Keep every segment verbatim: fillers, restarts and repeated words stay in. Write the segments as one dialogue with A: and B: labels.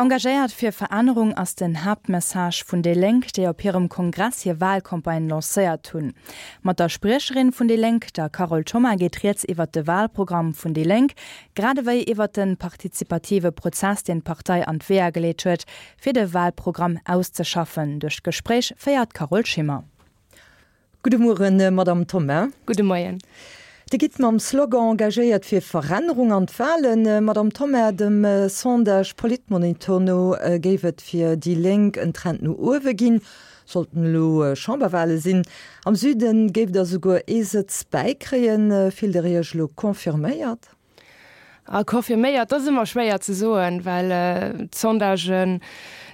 A: Engagéiert fir Verännerung ass den Haaptmessage vun déi Lénk, déi op hirem Kongress hir Walcampagne lancéiert hunn. Mat der Spriecherin vun déi Lénk, der Carole Thoma, geet rieds iwwer de Walprogramm vun déi Lénk, grad ewéi iwwer de partizipative Prozess, deen d'Partei an d'Weeër geleet huet, fir de Walprogramm auszeschaffen. Duerch d'Gespréich féiert d'Carole Schimmer.
B: Gudde Mueren, Madame Thoma.
C: Gudde Moien.
B: Dir gitt mam Slogan Engagéiert fir Verännerung an d'Walen. Madame Thoma, dem Sondage Politmonitor no géif et fir déi Lénk en Trend no uewe ginn, sollten elo Chamberwale sinn. Am Süde géift Der souguer ee Sëtz bäikréien. Fillt Der Iech elo confirméiert?
C: A confirméiert, dat ass ëmmer schwéier ze soen, well d'Sondagen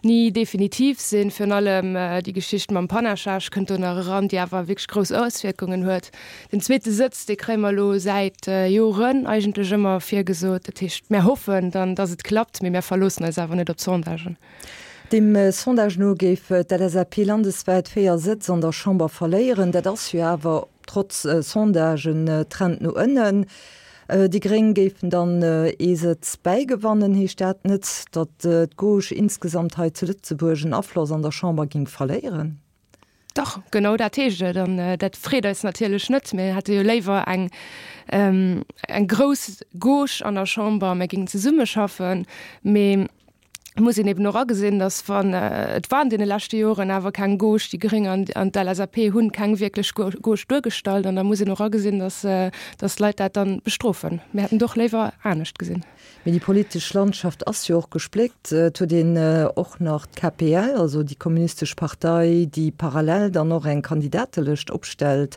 C: ni definitiv sinn. Virun allem déi Geschicht mam Panachage kënnt do nach eran, déi awer wierklech grouss Auswierkungen huet. Den zweete Sëtz, dee kréie mer elo säit Joren eigentlech ëmmer virgesot. Dat heescht, mär hoffen dann, datt et klappt, mee mär verloossen eis awer net op d'Sondagen.
B: Dem Sondage no géif d'LSAP landeswäit véier Sëtz an der Chamber verléieren. Dat ass jo awer trotz Sondage en Trend no ënnen. Déi Gréng géifen dann ee Sëtz bäigewannen. Heescht dat net, datt d'Gauche insgesamt hei zu Lëtzebuerg en Afloss an der Chamber géing verléieren?
C: Dach, genau dat heescht et. An dat freet eis natierlech net. Mir hätte jo léiwer eng, eng grouss Gauche an der Chamber, mir géingen zesummeschaffen. Mee Et muss een eben och agesinn, datt wann, et war an deene leschte Joren awer keng Gauche, déi Gréng an an d'LSAP hunn keng wierklech Gauche duergestallt an da muss een och agesinn, datt datt d'Leit dat dann bestrofen. Mir hätten et och léiwer anescht gesinn.
B: Mee déi politesch Landschaft ass jo och gespléckt. Et huet een och nach d'KPL, also déi kommunistesch Partei, déi parallel dann och eng Kandidatelëscht opstellt.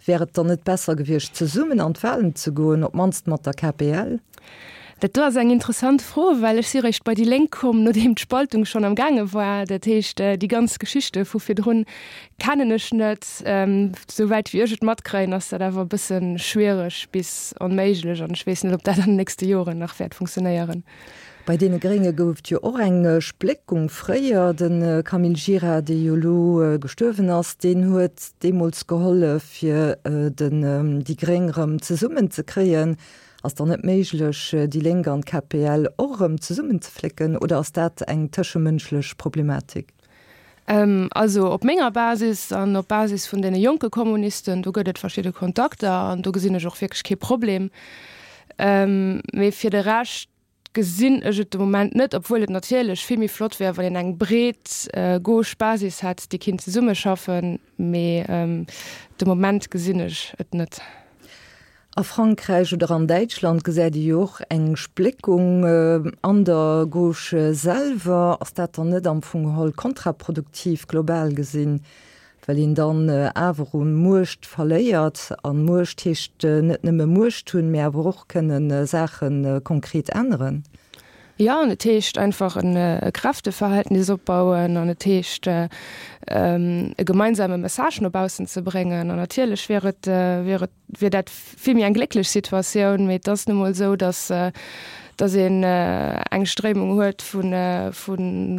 B: Wär et dann net besser gewiescht, zesummen an d'Wahlen ze goen, op d'mannst mat der KPL?
C: Dat do ass eng interessant Fro, well ech si réischt bei déi Lénk komm, nodeem d'Spaltung schonn am gaange war. Dat heescht, déi ganz Geschichte vu virdrun kennen ech net. Souwäit wéi ech et matkréien, ass dat awer e bësse schwiereg bis onméiglech an ech weess net, ob dat an den nächste Joren nach wäert funktionéieren.
B: Bei deene Grénge gouf et jo och eng Spléckung fréier. De Camille Gira, dee jo elo gestuerwen ass, deen huet deemools gehollef, fir den déi Gréng erëm zesummen ze kréien. Ass dann net méiglech, déi Lénk an d'KPL och erëm zesummen ze flécken oder ass dat eng tëschemënschlech Problematik?
C: Also op menger Basis an op Basis vun deene jonke Kommunisten, do gëtt et verschidde Kontakter an do gesinn ech och wierklech kee Problem. Mee fir de Rescht gesinn ech et de Moment net, obwuel et natierlech vill méi flott wär, wann een eng breet gauche Basis hätt, déi kinnt zesummeschaffen, mee de Moment gesinn ech et net.
B: A Frankräich oder an Däitschland gesäit ee jo och eng Spléckung an der Gauche selwer. Ass dat dann net am Fong geholl kontraproduktiv, global gesinn? Well een dann awer u Muecht verléiert. A Muecht heescht net nëmme Muecht hunn, mee awer och kënne Saache konkret änneren.
C: Jo, an et heescht einfach e Kräfteverhältnis opbauen an et heescht e gemeinsame Message no baussen ze bréngen. An natierlech wier et, wier et, wier dat vill méi eng glécklech Situatioun, mee et ass nu mol esou, datt datt een eng Stréimung huet vu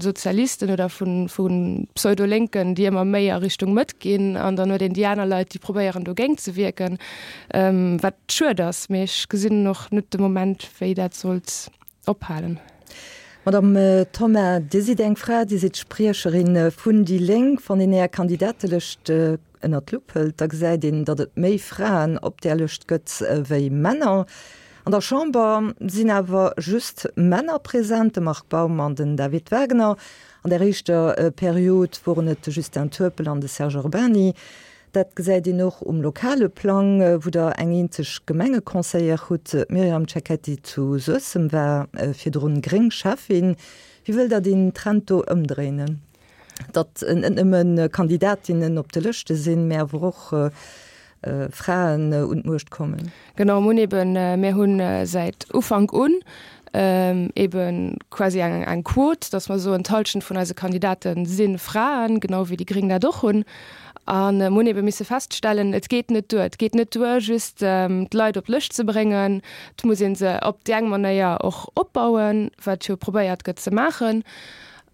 C: Sozialisten oder vu Pseudo-Lénken, déi ëmmer méi a Richtung Mëtt ginn, an dann huet een déi aner Leit, déi probéieren dogéint ze wierken, wat schued ass. Mee ech gesinn och net de Moment, wéi dat sollt ophalen.
B: Madame Thoma, Dir sidd eng Fra, Dir sidd Spriecherin vun déi Lénk. Wann een Är Kandidatelëscht ënnert d'Lupp hëlt, da gesäit een, datt et méi Fraen op där Lëscht gëtt wéi Männer. An der Chamber sinn awer just Männer present, de Marc Baum an den David Wagner. An der éischter Period woren et de Justin Turpel an de Serge Urbany. Dat gesäit een och um lokale Plang, wou Der eng eenzeg Gemengeconseillère hutt, d'Myriam Cecchetti zu Suessem war virdrun gréng Schäffin. Wéi wëllt Der deen Trend do ëmdréinen, datt net nëmme Kandidatinnen op de Lëschte sinn, mä awer och Fraen un d'Muecht kommen?
C: Genau, mir hunn eben, mir hunn säit Ufank un eben quasi eng eng Quot, datt mer soen, d'Hallschent vun eise Kandidate si Fraen, genau wéi déi Gréng dat och hunn. A mir hunn ebe misse feststellen, et geet net duer. Et geet net duer, just d'Leit op d'Lëscht ze bréngen. Et muss ee se op déi eng Manéier och opbauen, wat jo probéiert gëtt ze maachen.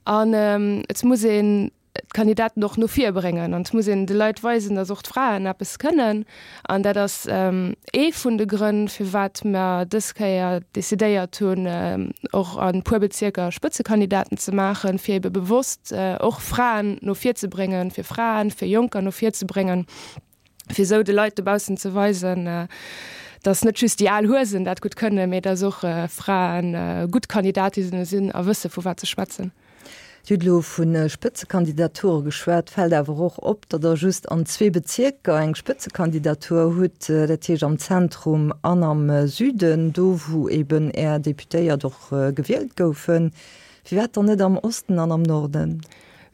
C: An et muss een d'Kandidaten och no vir bréngen an et muss een de Leit weisen, datt och d'Fraen eppes kënnen. An dat ass ee vun de Grënn, firwat mer dës Kéier decidéiert hunn, och a puer Bezierker Spëtzekandidaten ze maachen, fir ebe bewosst och Fraen no vir ze bréngen, fir Fraen, fir Jonker no vir ze bréngen, fir esou de Leit dobaussen ze weisen, datt net just déi al Huesen dat gutt kënnen, mee datt och Fraen gutt Kandidatinnen sinn a wësse vu wat se schwätzen.
B: Dir hutt elo vu Spëtzekandidature geschwat. Fält awer och op, datt Der just an zwee Bezierker eng Spëtzekandidatur hutt, dat heescht am Zentrum an am Süden, do wou eben Är Deputéiert och gewielt goufen. Firwat dann net am Osten an am Norden?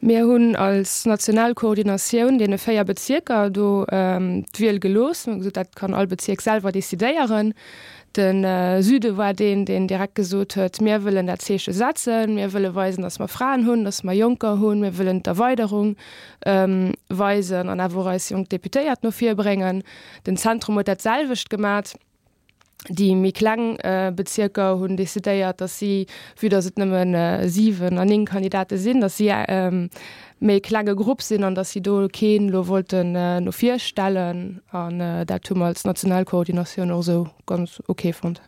C: Mir hunn als national Koordinatioun deene véier Bezierker do d'Wiel gelooss. Mir hu gesot, dat kann all Bezierk selwer decidéieren. De Süde war deen, deen direkt gesot huet, mir wëllen dat Zeeche setzen, mir wëlle weisen, datt mer Fraen hunn, datt mer Jonker hunn, mir wëllen d'Erweiderung weisen an awer och eis jonk Deputéiert no vir bréngen. Den Zentrum huet dat selwecht gemat. Déi méi kleng Bezierker hunn decidéiert, datt si, vue datt et nëmme siwen an néng Kandidate sinn, datt si méi klenge Grupp sinn an datt si do keen elo wollten no vir stellen. An dat hu mer als national Koordinatioun och esou ganz ok fonnt.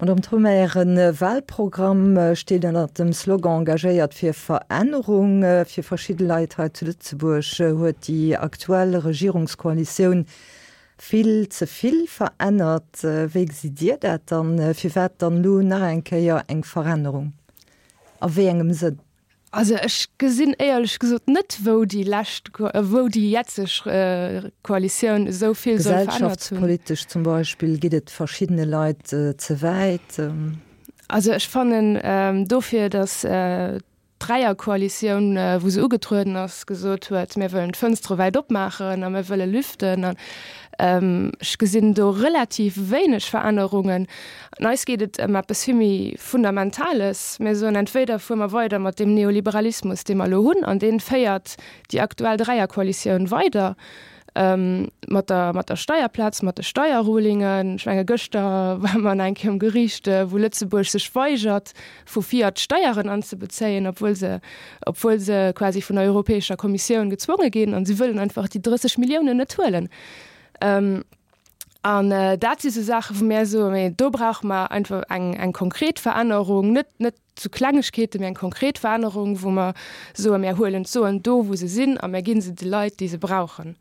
B: Madamm Thoma, Äre Wahlprogramm steet ënnert dem Slogan Engagéiert fir Verännerung. Fir verschidde Leit hei zu Lëtzebuerg huet déi aktuell Regierungskoalitioun vill ze vill verännert. Wéi gesitt Dir dat dann? Firwat dann elo nach eng Kéier eng Verännerung? A wéi engem Sënn?
C: Also ech gesinn éierlech gesot net, wou déi lescht, wou déi jetzeg Koalitioun esou vill soll verännert hunn.
B: Gesellschaftspolitesch zum Beispill geet et verschiddene Leit ze wäit.
C: Also ech fannen dofir, datt d'Dräierkoalitioun, wou se ugetrueden ass, gesot huet, mir wëllen d'Fënstere wäit opmaachen a mir wëlle lüften. An ech gesinn do relativ wéineg Verännerungen. An eis geet et ëm eppes vill méi Fundamentales. Mir soen, entweder fuere mer weider mat deem Neoliberalismus, dee mer elo hunn, an dee féiert déi aktuell Dräierkoalitioun weider, mat der, mat der Steierplaz, mat de Steierrulingen. Ech menge gëschter ware mer nach eng Kéier um Geriicht, wou Lëtzebuerg sech weigert, vu Fiat Steieren anzebezéien, obwuel se, obwuel se quasi vun der Europäescher Kommissioun gezwonge ginn. An si wëllen einfach déi drësseg Milliounen net huelen. An dat si sou Saachen, wou mir soen, mee do brauche mer einfach eng, eng konkret Verännerung, net, net zu Klengegkeeten, mee eng konkret Verännerung, wou mer soen, mir huelen d'Suen do, wou se sinn, a mir gi se de Leit, déi se brauchen.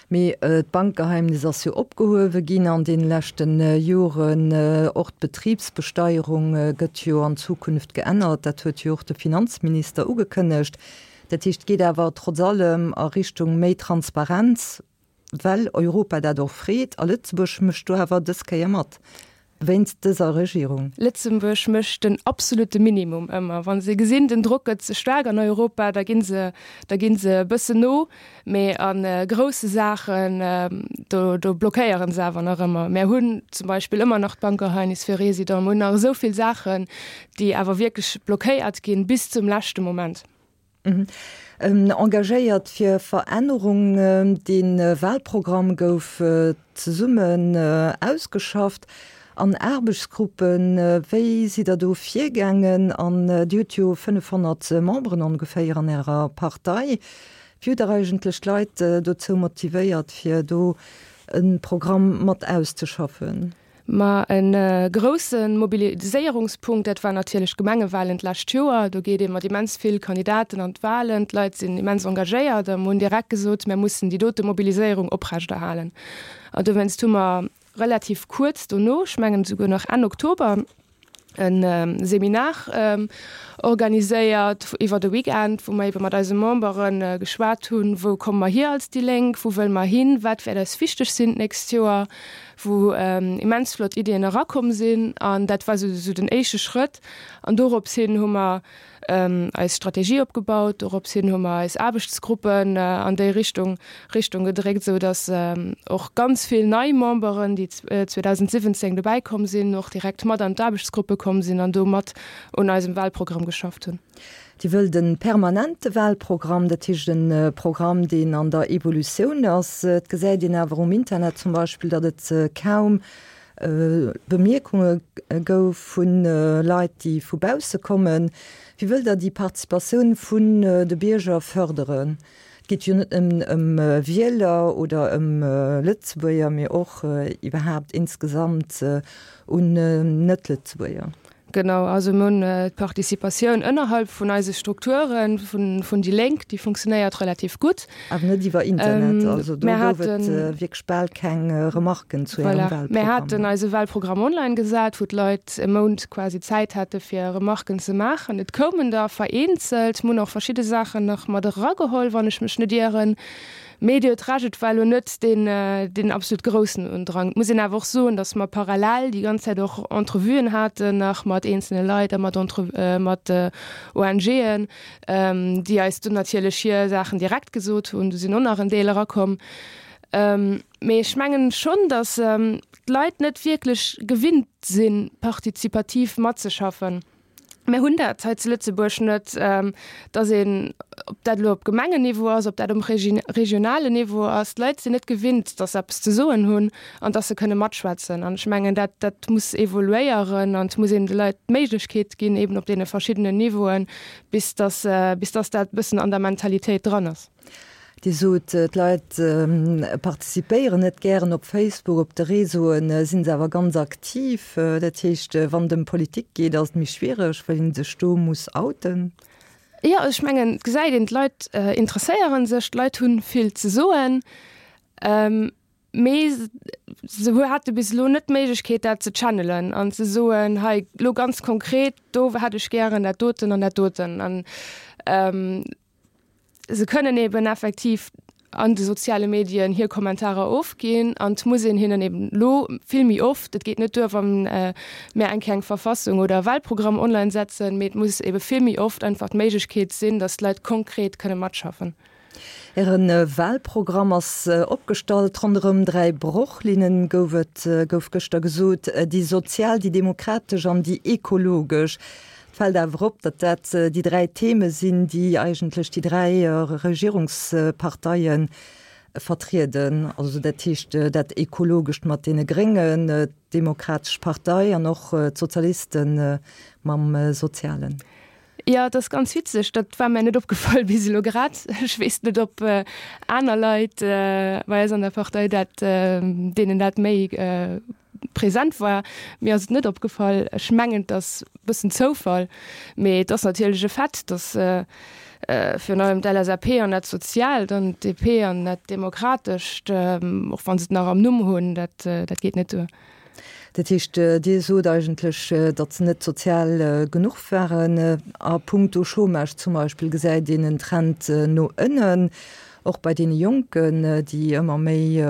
B: Mee d'Bankgeheimnis ass jo opgehuewe ginn an deene leschte Joren. Och d'Betribsbesteierung gëtt jo an Zukunft geännert. Dat huet jo och de Finanzminister ugekënnegt. Dat heescht, et geet awer trotz allem a Richtung méi Transparenz, well Europa dat och freet. A Lëtzebuerg mécht do awer dës Kéier mat, wéinst dëser Regierung.
C: Lëtzebuerg mécht den absolute Minimum ëmmer. Wa se gesinn, den Drock gëtt ze staark an Europa, da gi se, da gi se e bëssen no. Mee a grousse Saachen, do, do blockéiere se awer nach ëmmer. Mir hunn zum Beispill ëmmer nach d'Bankgeheimnis fir Résidenten. Mir hunn nach esou vill Saachen, déi awer wierklech blockéiert ginn bis zum leschte Moment.
B: Engagéiert fir Verännerung, Dee Wahlprogramm gouf zesummen ausgeschafft an Aarbechtsgruppen. Wéi sidd Der do virgaangen? An Dir hutt jo fënnefhonnert Memberen ongeféier an Ärer Partei. Wéi hutt Der eigentlech d'Leit dozou motivéiert, fir do e Programm mat auszeschaffen?
C: Ma e grousse Mobiliséierungspunkt, dat war natierlech d'Gemengewalen d'lescht Joer. Do geet ee mat immens vill Kandidaten an d'Walen, d'Leit sinn immens engagéiert a mer hunn direkt gesot, mir mussen déi dote Mobiliséierung oprechterhalen. An dowéinst hu mer relativ kuerz dono, ech mengen esouguer nach Enn Oktober, e Seminar organiséiert iwwer de Weekend, wou mer ebe mat eise Membere geschwat hunn, wou komme mer hier als déi Lénk, wou wëlle mer hin, wat wäert eis wichteg sinn d'nächst Joer, wou immens flott Iddien erakomm sinn. An dat war esou den éischte Schrëtt. An dorops hin hu mer eis Strategie opgebaut, dorops hin hu mer eis Aarbechtsgruppen an déi Richtung Richtung gedréckt, esou datt och ganz vill nei Memberen, déi zweedausendsiwwenzéng dobäi komm sinn, och direkt mat an d'Aarbechtsgruppe komm sinn an do mat un eisem Wahlprogramm geschafft hunn.
B: Dir wëllt e permanente Wahlprogramm, dat heescht e Programm, deen an der Evolutioun ass. Et gesäit een awer um Internet zum Beispill, datt et kaum Bemierkunge gouf vu Leit, déi vu bausse kommen. Wéi wëllt Der déi Participatioun vun de Bierger fërderen? Et geet jo net nëmmen ëm Wieler oder ëm Lëtzebuerger, mee och iwwerhaapt insgesamt un Net-Lëtzebuerger.
C: Genau, also mir hunn d'Participatioun ënnerhalb vun eise Strukture vun déi Lénk, déi funktionéiert relativ gutt.
B: Awer net iwwer Internet, also do gouf et wierklech bal keng Remarken zu Ärem Wahlprogramm.
C: Voilà, mir haten eise Wahlprogramm online gesat, wou d'Leit e Mount quasi Zäit hate fir Remarken ze maachen. Et koumen der vereenzelt, mir hunn och verschidde Saachen nach mat erageholl, wann ech mech net ieren. Mee Dir huet Recht, et war elo net deen, deen absolut groussen Undrang. Et muss een awer och soen, datt mer parallel déi ganz Zäit och Entrevuen haten nach mat eenzelne Leit a mat Entre, mat ONGen, déi eis dunn natierlech hir Saachen direkt gesot hunn. Do sinn och nach en Deel erakomm. Mee ech mengen schonn, datt d'Leit net wierklech gewinnt sinn, partizipativ matzeschaffen. Mir hunn dat hei zu Lëtzebuerg net, dass een, ob dat elo op Gemengenniveau ass, ob dat um regionalen Niveau ass, d'Leit sinn net gewinnt, dass se eppes ze soen hunn an dass se kënne matschwätzen. An ech mengen, dat, dat muss evoluéieren an et muss een de Leit d'Méiglechkeet ginn, eben op deene verschiddenen Niveauen, bis dass, bis dass dat e bëssen an der Mentalitéit dran ass.
B: Dir sot, d'Leit participéieren net gären op Facebook, op de Réseauen si se awer ganz aktiv. Dat heescht, wann et ëm Politik geet, ass et méi schwiereg, well ee sech do muss outen.
C: Jo, ech mengen, et gesäit een, d'Leit interesséiere sech, d'Leit hu vill ze soen, mee se hate bis elo net d'Méiglechkeet, dat ze channelen an ze soen, hei elo ganz konkret, do hätt ech gären dat doten an dat doten. An Se kënnen eben effektiv an de soziale Medien hir Kommentarer ofginn an et muss een hinnen eben elo vill méi oft, et geet net duer, wa mir eng Kéier eng Verfassung oder e Wahlprogramm online setzen, mee et muss ebe vill méi oft einfach d'Méiglechkeet sinn, datt d'Leit konkret kënne matschaffen.
B: Äre Wahlprogramm ass opgestallt ronderëm dräi Brochlinnen, gouf et gouf gëschter gesot, déi sozial, déi demokratesch an déi ekologesch. Et fält awer op, datt dat déi dräi Theme sinn, déi eigentlech déi dräi Regierungsparteie vertrieden. Also dat heescht dat Ekologescht mat deene Gréngen, d'Demokratesch Partei an och d'Sozialiste mam Sozialen.
C: Jo, et ass ganz witzeg, dat war mär net opgefall bis elo grad. Ech weess net, ob aner Leit bei eis an der Partei dat, deenen dat méi present war. Mir ass et net opgefall. Ech mengen, et ass e bëssen Zoufall, mee et ass natierlech e Fait, datt virun allem d'LSAP an dat Soziaalt an d'DP an dat Demokratescht, och wa se et nach am Numm hunn, dat dat geet net duer.
B: Dat heescht, Dir sot eigentlech, datt se net sozial genuch waren. A puncto Chômage zum Beispill gesäit een en Trend no ënnen. Och bei deene Jonken, déi ëmmer méi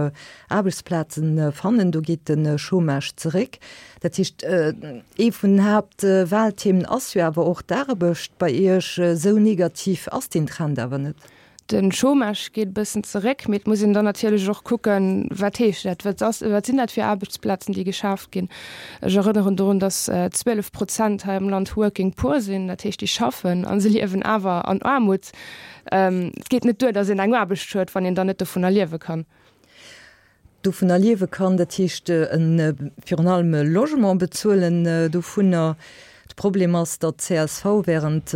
B: Aarbechtsplaze fannen, do geet de Chômage zeréck. Dat heescht, ee vun den Haaptwahlthemen ass jo awer och d'Aarbecht bei Iech. Esou negativ ass deen Trend awer net.
C: De Chômage geet e bëssen zeréck, mee et muss een dann natierlech och kucken, wat heescht dat, wat ass, wat sinn dat fir Aarbechtsplazen, déi geschaaft ginn. Ech erënneren dorun, datt zwielef Prozent hei am Land Working Poor sinn, dat heescht déi schaffen a se liewen awer an Aarmut. Et geet net duer, datt een eng Aarbecht huet, wann een dann net dovunner liewe kann.
B: Dovunner liewe kann, dat heescht virun allem e Logement bezuelen dovunner. De Problem ass, datt d'CSV während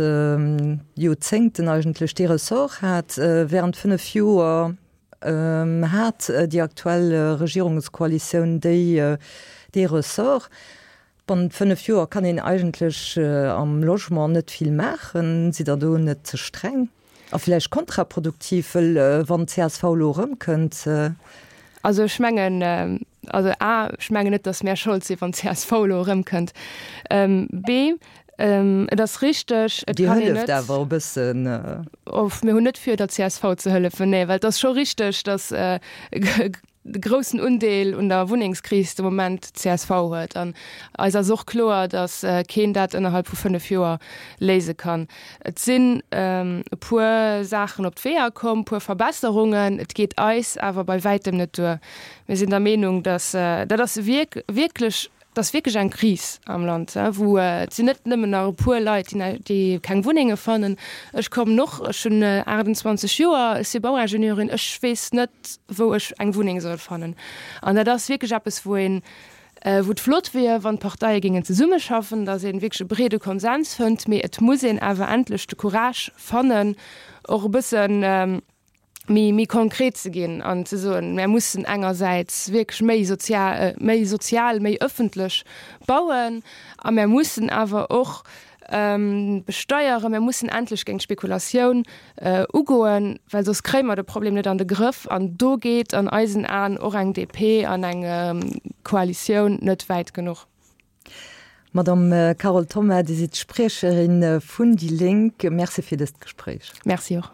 B: Joerzéngten eigentlech dee Ressort hat. Während fënnef Joer hat déi aktuell Regierungskoalitioun déi dee Ressort. Bannent fënnef Joer kann een eigentlech am Logement net vill maachen. Sidd Der do net ze streng a vläicht kontraproduktiv, wëll wann d'CSV elo erëmkënnt?
C: Also ech mengen, also a, ech mengen net, datt mär Schold sinn, wann d'CSV elo erëmkënnt. B, et ass richteg, et
B: Dir
C: kann een
B: hëlleft
C: net.
B: awer e bëssen.
C: Of, mir hunn net vir, der csv ze hëllefen, nee, well et ass scho richteg, datt de groussen Undeel un der Wunnengskris de Moment d'CSV huet. An eis ass och kloer, datt keen dat ënnerhalb vu fënnef Joer léise kann. Et sinn e puer Saachen op d'Weeër komm, e puer Verbesserungen. Et geet eis awer bei wäitem net duer. Mir sinn der Meenung, datt dat ass wierklech, et ass wierklech eng Kris am Land, wou et sinn net nëmmen nach e puer Leit, déi keng Wunnenge fannen. Ech kommen och, ech hunn aachtundzwanzeg Joer, ech si Bauingenieurin, ech weess net, wou ech eng Wunneng soll fannen. An dat ass wierklech eppes, wou een Wou et flott wier, wann d'Parteie géingen zesummeschaffen, datt ee wierklech e breede Konsens fënnt, mee et muss een awer endlech de Courage fannen, och e bëssen méi, méi konkret ze ginn an ze soen, mär mussen engersäits wierklech méi sozial, méi sozial, méi ëffentlech bauen a mär mussen awer och besteieren, mär mussen endlech géint d'Spekulatioun ugoen, well soss kréie mer de Problem net an de Grëff. An do geet an eisen Aen och eng D P an eng Koalitioun net wäit genuch.
B: Madame Carole Thoma, Dir sidd d'Spriecherin vun déi Lénk. Merci fir dëst Gespréich.
C: Merci och.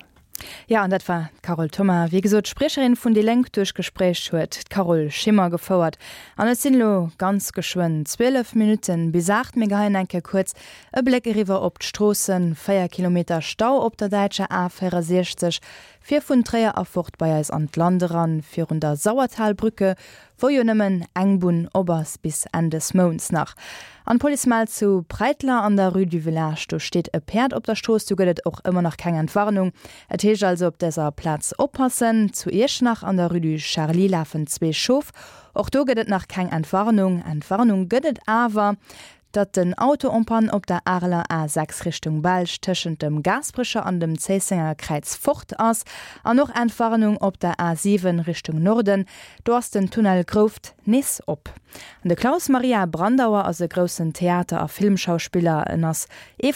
A: Ja, an dat war d'Carole Thoma, wéi gesot Spriecherin vun déi Lénk. D'Gespréich huet d'Carole Schimmer gefouert. An et sinn elo ganz geschwënn zwielef Minutten bis aacht. Mir geheien eng Kéier kuerz e Bléck eriwwer op d'Stroossen. Véier Kilometer Stau op der däitscher A véierundsechzeg fir vun Tréier erfort bei eis an d'Land eran, virun der Sauertalbrücke, wou jo nëmmen eng Bunn op ass bis Enn des Mounts nach. An d'Police mellt zu Breitler an der Rue du Village, do steet e Päerd op der Strooss, do gëtt et och ëmmer nach keng Entwarnung. Et heescht also op dëser Plaz oppassen. Zu Iechternach an der Rue du Charly lafen zwee Schof, och do gëtt et nach keng Entwarnung. Entwarnung gëtt et awer, datt den Auto en panne op der Areler A sechs Richtung Belsch tëschent dem Gaasperecher an dem Zéissenger Kräiz fort ass an och Entwarnung op der A siwen Richtung Norden, do ass den Tunnel Grouft nees op. An de Klaus Maria Brandauer ass e groussen Theater a Filmschauspiller, en ass ee